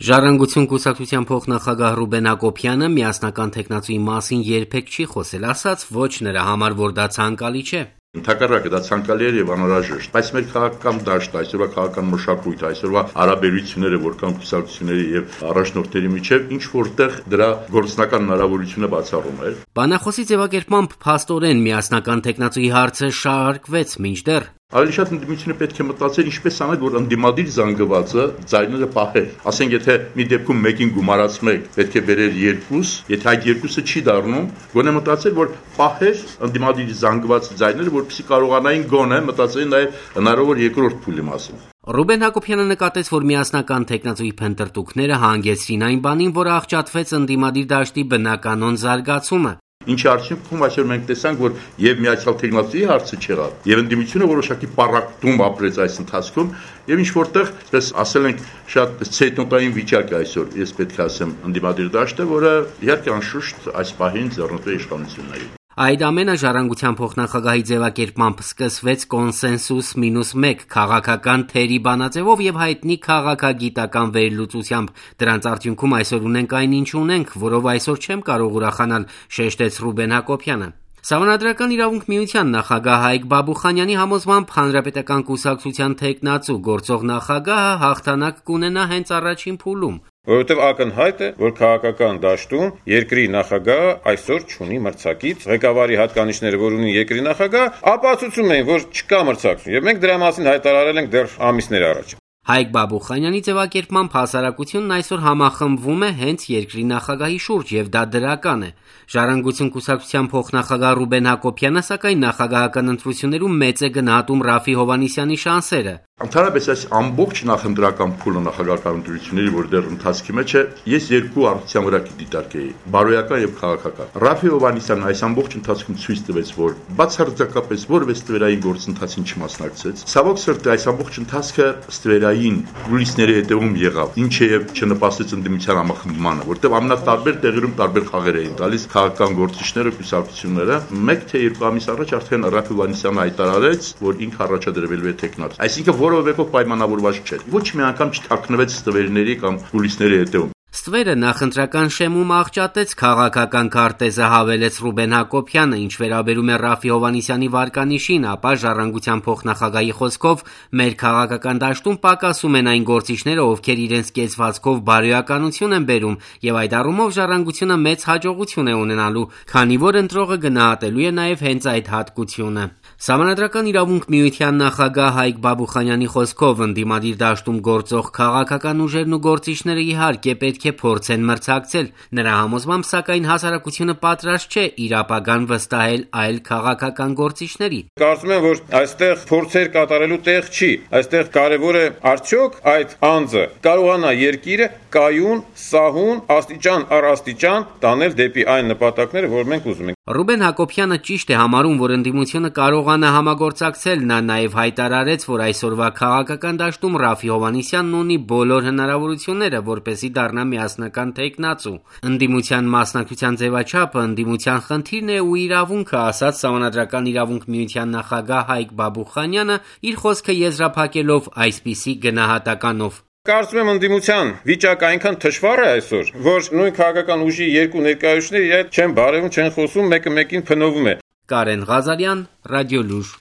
Ժառանգություն կուսակցության փոխնախագահ Ռուբեն Հակոբյանը միասնական թեկնածուի մասին երբեք չի խոսել, ասաց ոչ նրա համար, որ դա ցանկալի չէ։ Ընդհակառակը դա ցանկալի էր եւ անհրաժեշտ, բայց մեր քաղաքական դաշտը, այսօրվա քաղաքական մշակույթը, այսօրվա հարաբերությունները, որքան կուսակցությունների եւ առաջնորդների միջեւ ինչ որտեղ դրա գործնական հնարավորությունը բացառում էր։ Բանախոսի ձևակերպմամբ փաստորեն միասնական թեկնածուի հարցը շարարկվեց մինչդեռ Ավելի շատ ընդդիմությունը պետք է մտածել ինչպես անել, որ ընդդիմադիր զանգվածը ձայները պահեր։ Ասենք, եթե մի դեպքում մեկին գումարած 1, պետք է բերեր 2, եթե այդ 2-ը չի դառնում, գոնե մտածել, որ պահեր ընդդիմադիր զանգված ձայները, որպեսզի կարողանային գոնե մտածել նաև հնարավոր երկրորդ փուլի մասին։ Ռուբեն Հակոբյանը նկատեց, որ միասնական թեկնածուի փնտրտուքները հանգեցրին այն բանին, որը աղճատվեց ընդդիմադիր դաշտի բնականոն զարգացումը։ Ինչի արդյունքում այսօր մենք տեսանք, որ եւ միացյալ թեկնածուի հարցը չեղավ, եւ ընդդիմությունը որոշակի պառակտում ապրեց այս ընթացքում, եւ ինչ որտեղ, այսպես ասել ենք, շատ ցեյտնոտային վիճակ է այսօր, ես պետք է ասեմ, ընդդիմադիր դաշտը, որը իհարկե անշուշտ այս պահին ձեռնտու է իշխանությունների։ Այդ ամենը ժառանգության փոխնախագահի ձևակերպմամբ սկսվեց կոնսենսուս -1 քաղաքական թերի բանաձևով եւ հայտնի քաղաքագիտական վերլուծությամբ։ Դրանց արդյունքում այսօր ունենք այն, ինչ ունենք, որով այսօր չեմ կարող ուրախանալ, շեշտեց Ռուբեն Հակոբյանը։ Սահմանադրական իրավունք միության նախագահ Հայկ Բաբուխանյանի համոզմամբ հանրապետական կուսակցության թեկնածու գործող նախագահը հաղթանակ կունենա հենց առաջին փուլում։ Որովհետև ակնհայտ է, որ քաղաքական դաշտում երկրի նախագահը այսօր չունի մրցակից, ղեկավարի հատկանիշները, որ ունի երկրի նախագահ, ապացուցում են, որ չկա մրցակցություն, եւ մենք դրա մասին հայտարարել ենք դեռ ամիսներ առաջ։ Հայկ Բաբուխանյանի ձևակերպմամբ հասարակությունն այսօր համախմբվում է հենց երկրի նախագահի շուրջ եւ դա դրական է։ Ժառանգություն կուսակցության փոխնախագահ Ռուբեն Հակոբյանը սակայն նախագահական ընտրություններում մեծ է գնահատում Ռաֆի Հովհաննիսյանի շանսերը։ Ընդհանրապես այս ամբողջ նախընտրական փուլը նախագահական ընտրությունների, որ դեռ ընթացքի մեջ է, ես երկու առողջության վրա դիտարկեի՝ բարոյական եւ քաղաքական։ Ռաֆի Հովհաննիսյանը այս ամբողջ ընթացքում ցույց տվեց, որ բացարձակապես որևէ ստվերային գործընթացին չմասնակցեց։ Ցավոք սրտի այս ամբողջ ընթացքը ստվերային կուլիսների հետևում եղավ, ինչը եւ չնպաստեց ընդդիմության համախմբմանը, որտեղ ամենատարբեր տեղերում տարբեր խաղեր էին տալիս քաղաքական գործիչները, կուսակցությունները։ 1 թե 2 ամիս առաջ արդեն Ռաֆի Հովհաննիսյանը հայտարարեց, որ ինքը առաջադրվելու է թեկնածու։ Այսինքն որևէ մեկով պայմանավորված չէր։ Ոչ մի անգամ չթաքնվեց ստվերների կամ կուլիսների հետևում։ Ստվերը նախընտրական շեմում աղճատեց քաղաքական քարտեզը, հավելեց Ռուբեն Հակոբյանը, ինչ վերաբերում է Ռաֆի Հովհաննիսյանի վարկանիշին, ապա ժառանգության փոխնախագահի խոսքով մեր քաղաքական դաշտում պակասում են այն գործիչները, ովքեր իրենց կեցվածքով բարոյականություն են բերում, եւ այդ առումով ժառանգությունը մեծ հաջողություն է ունենալու, քանի որ ընտրողը գնահատելու է նաեւ հենց այդ հատկությունը։ Սահմանադրական իրավունք միության նախագահ Հայկ Բաբուխանյանի խոսքով ընդդիմադիր դաշտում գործող քաղաքական ուժերն ու գործիչները իհարկե պետք է փորձեն մրցակցել։ Նրա համոզմամբ սակայն հասարակությունը պատրաստ չէ իր ապագան վստահել այլ քաղաքական գործիչների։ Կարծում եմ, որ այստեղ փորձեր կատարելու տեղ չի։ Այստեղ կարևոր է արդյոք այդ անձը կարողանա երկիրը կայուն, սահուն, աստիճան առ աստիճան տանել դեպի այն նպատակները, որ մենք ուզում ենք։ Ռուբեն Հակոբյանը ճիշտ է համարում, որ ընդդիմությունը կարողանա համագործակցել, նա նաև հայտարարեց, որ այսօրվա քաղաքական դաշտում Ռաֆի Հովհաննիսյանն ունի բոլոր հնարավորությունները, որպեսզի դառնա միասնական թեկնածու։ Ընդդիմության մասնակցության ձևաչափը ընդդիմության խնդիրն է ու իրավունքը, ասաց Սահմանադրական իրավունք միության նախագահ Հայկ Բաբուխանյանը, իր խոսքը եզրափակելով այսպիսի գնահատականով։ Կարծում եմ ընդդիմության վիճակը այնքան թշվառ է այսօր, որ նույն քաղաքական ուժի երկու ներկայացուցիչները իրար չեն բարևում, չեն խոսում, մեկը մեկին փնովում է։ Կարեն Ղազարյան, Ռադիոլուր։